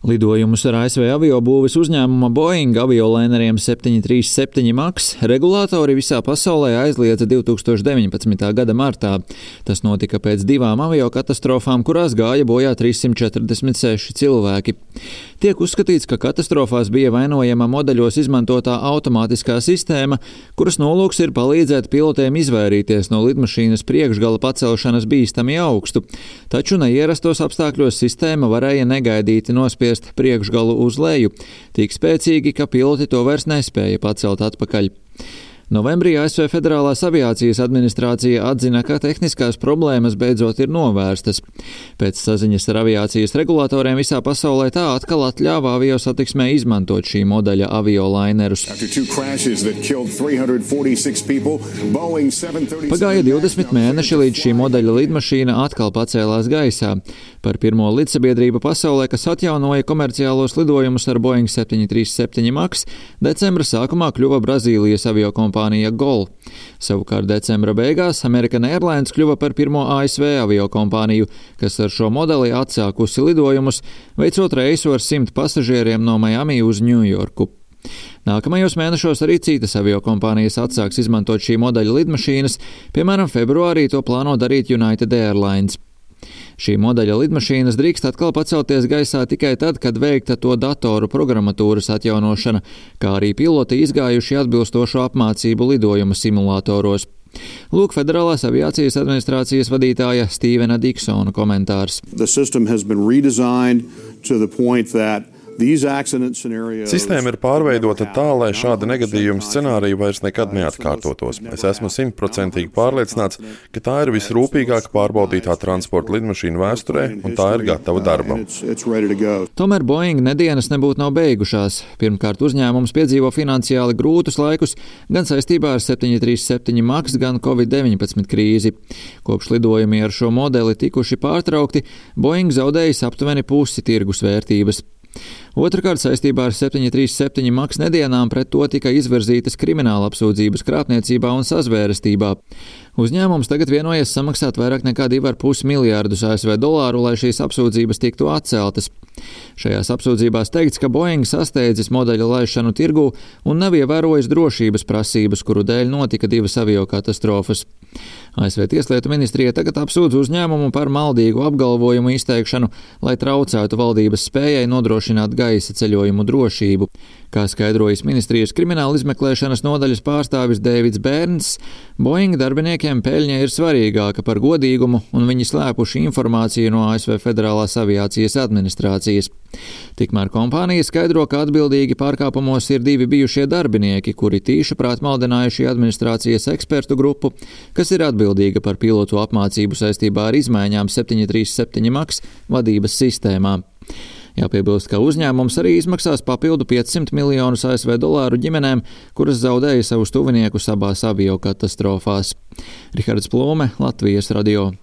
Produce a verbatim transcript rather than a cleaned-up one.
Lidojumus ar A S V aviobūves uzņēmuma Boeing aviolaineriem septiņi trīs septiņi maks regulātori visā pasaulē aizliedza divi tūkstoši deviņpadsmitā gada martā. Tas notika pēc divām aviokatastrofām, kurās gāja bojā trīssimt četrdesmit seši cilvēki. Tiek uzskatīts, ka katastrofās bija vainojama modeļos izmantotā automātiskā sistēma, kuras nolūks ir palīdzēt pilotiem izvairīties no lidmašīnas priekšgala pacelšanas bīstami augstu, taču neierastos apstākļos sistēma varēja negaidīti nospiest priekšgalu uz leju, tik spēcīgi, ka piloti to vairs nespēja pacelt atpakaļ. Novembrī A S V Federālās aviācijas administrācija atzina, ka tehniskās problēmas beidzot ir novērstas. Pēc saziņas ar aviācijas regulātoriem visā pasaulē tā atkal atļāva aviosatiksmē izmantot šī modeļa aviolainerus. Pagāja divdesmit mēneši, līdz šī modeļa lidmašīna atkal pacēlās gaisā. Par pirmo lidsabiedrību pasaulē, kas atjaunoja komerciālos lidojumus ar Boeing septiņi trīs septiņi maks, decembra sākumā kļuva Brazīlijas aviokompānija Gol. Savukārt decembra beigās American Airlines kļuva par pirmo A S V aviokompāniju, kas ar šo modeli atsākusi lidojumus, veicot reisu ar simt pasažieriem no Miami uz Ņujorku. Nākamajos mēnešos arī citas aviokompānijas atsāks izmantot šī modeļa lidmašīnas, piemēram, februārī to plāno darīt United Airlines. Šī modeļa lidmašīnas drīkst atkal pacelties gaisā tikai tad, kad veikta to datoru programmatūras atjaunošana, kā arī piloti izgājuši atbilstošo apmācību lidojuma simulātoros. Lūk Federālās aviācijas administrācijas vadītāja Stīvena Diksona komentārs. Sistēma ir pārveidota tā, lai šāda negadījuma scenārija vairs nekad neatkārtotos. Es esmu simtprocentīgi pārliecināts, ka tā ir visrūpīgāk pārbaudītā transporta lidmašīna vēsturē, un tā ir gatava darbam. Tomēr Boeing nedienas nebūtu nav beigušās. Pirmkārt, uzņēmums piedzīvo finansiāli grūtus laikus gan saistībā ar septiņi trīs septiņi maks, gan covid deviņpadsmit krīzi. Kopš lidojumi ar šo modeli tikuši pārtraukti, Boeing zaudējis aptuveni pusi tirgus vērtības. Otrakārt, saistībā ar septiņi trīs septiņi maks nedienām pret to tika izvirzītas krimināla apsūdzības krāpniecībā un sazvērestībā. Uzņēmums tagad vienojas samaksāt vairāk nekā divi ar pus miljārdus A S V dolāru, lai šīs apsūdzības tiktu atceltas. Šajās apsūdzībās teikts, ka Boeing sasteidzis modeļa laišanu tirgū un nav ievērojis drošības prasības, kuru dēļ notika divas aviokatastrofas. A S V Tieslietu ministrija tagad apsūdz uzņēmumu par maldīgu apgalvojumu izteikšanu, lai traucētu valdības spējai nodrošināt gaisa ceļojumu drošību. Kā skaidrojas ministrijas krimināla izmeklēšanas nodaļas pārstāvis Dēvids Bērns, Boeing darbiniekiem peļņa ir svarīgāka par godīgumu, un viņi slēpuši informāciju no A S V Federālās aviācijas administrācijas. Tikmēr kompānija skaidro, ka atbildīgi pārkāpumos ir divi bijušie darbinieki, kuri tīšaprāt maldinājuši administrācijas ekspertu grupu, kas ir atbildīga par pilotu apmācību saistībā ar izmaiņām septiņi trīs septiņi maks vadības sistēmā. Jāpiebilst, ka uzņēmums arī izmaksās papildu piecsimt miljonus A S V dolāru ģimenēm, kuras zaudēja savus tuviniekus abās aviokatastrofās. Rihards Plūme, Latvijas radio.